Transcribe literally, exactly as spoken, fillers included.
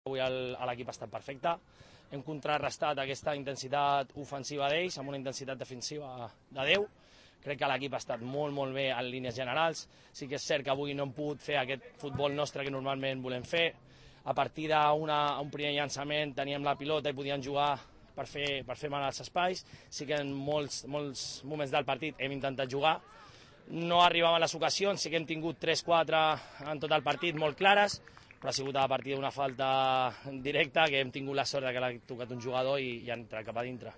Avui l'equip ha estat perfecte, hem contrarrestat aquesta intensitat ofensiva d'ells amb una intensitat defensiva de Déu. Crec que l'equip ha estat molt, molt bé en línies generals. Sí que és cert que avui no hem pogut fer aquest futbol nostre que normalment volem fer. A partir d'un primer llançament teníem la pilota i podíem jugar per fer, per fer mal als espais. Sí que en molts, molts moments del partit hem intentat jugar. No arribaven les ocasions, sí que hem tingut tres quatre en tot el partit molt clares, però ha sigut a partir d'una falta directa que hem tingut la sort que l'ha tocat un jugador i, i ha entrat cap a dintre.